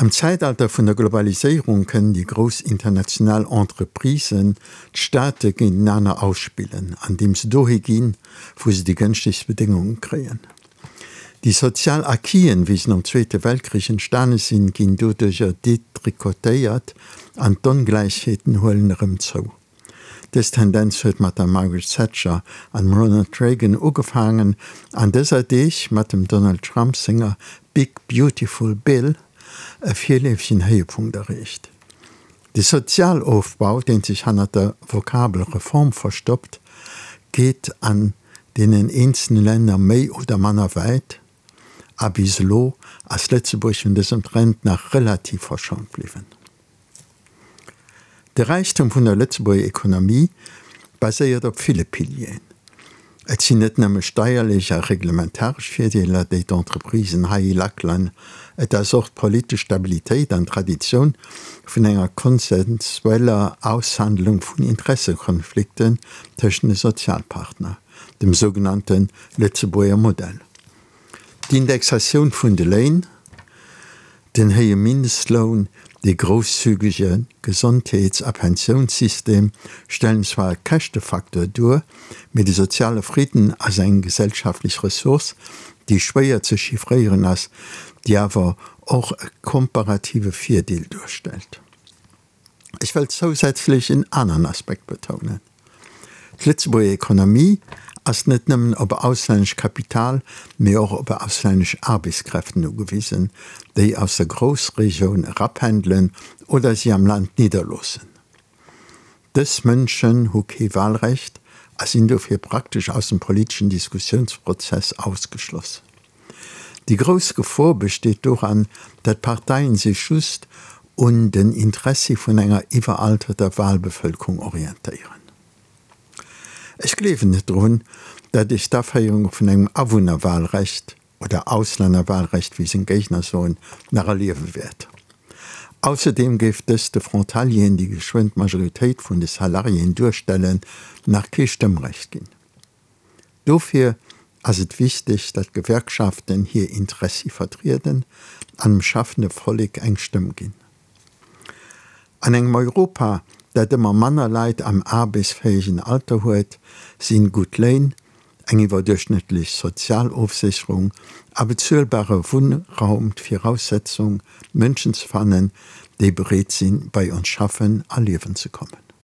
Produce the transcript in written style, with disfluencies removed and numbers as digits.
Am Zäitalter vun der Globaliséierung kënnen déi grouss international Entreprisen d'Staate géintenaner ausspillen, andeem se dohi ginn, wou se déi gënschtegst Bedéngunge kréien. Déi sozial Acquisen, wéi se nom Zweete Weltkrich entstane sinn, ginn doduercher detricotéiert an d'Ongläichheeten huelen erëm zou. Dës Tendenz huet mat der Margaret Thatcher an dem Ronald Reagan ugefaangen an dëser Deeg mat dem Donald Trump senger Big Beautiful Bill e virleefegen Héiepunkt erreecht. De Sozialofbau, deen sech hannert der Vokabel Reform verstoppt, geet an deenen eenzele Länner méi oder manner wäit, a bis elo ass Lëtzebuerg vun dësem Trend nach relativ verschont bliwwen. De Räichtum vun der Lëtzebuerger Ekonomie baséiert op ville Pilieren. Et sinn net nëmme steierlech a reglementaresch Virdeeler, déi d'Entreprisen hei lackelen, et ass och d'politesch Stabilitéit an d'Traditioun vun enger konsensueller Aushandlung vun Interessekonflikten tëschent de Sozialpartner, dem sougenannte Lëtzebuerger Modell. D'Indexatioun vun de Léin, den héije Mindestloun, dee grousszügege Gesondheets a Pensiounssystem stellen zwar e Käschtefacteur duer, mee de soziale Fridden ass eng gesellschaftlech Ressource, déi schwéier ze chiffréieren ass, déi awer och e komparative Virdeel duerstellt. Ech wëll zousätzlech en aneren Aspekt betounen. D'Lëtzebuerger Ekonomie ass net nëmmen op auslännesch Kapital, mee och op auslännesch Aarbechtskräften ugewisen, déi aus der Groussregioun erapendelen oder si am Land nidderloossen. Dës Mënschen hu kee Wahlrecht a sinn dofir praktesch aus dem politeschen Diskussiounsprozess ausgeschloss. Déi grouss Gefor besteet doran, datt d'Parteien sech just un den Interessi vun enger iwweralterter Wahlbevëlkerung orientéieren. Ech gleewen net drun, datt ech d'Aféierung vun engem Awunnerwahlrecht, oder Auslännerwahlrecht, wéi seng Géigner soen, nach erliewe wäert. Ausserdeem géif dëst de Frontalieren, déi geschwënn d'Majoritéit vun de Salariéen duerstellen, nach kee Stëmmrecht ginn. Dofir ass et wichteg, datt d'Gewerkschaften hir Interessi vertrieden an dem schaffende Vollek eng Stëmm ginn. An engem Europa, dat ëmmer manner Leit am aarbechtsfäegen Alter huet, sinn gutt Léin, eng iwwerduerchschnëttlech Sozialofsécherung a bezuelbare Wunnraum d'Viraussetzung, Mënschen ze fannen, déi bereet sinn, bei ons schaffen a liewen ze kommen.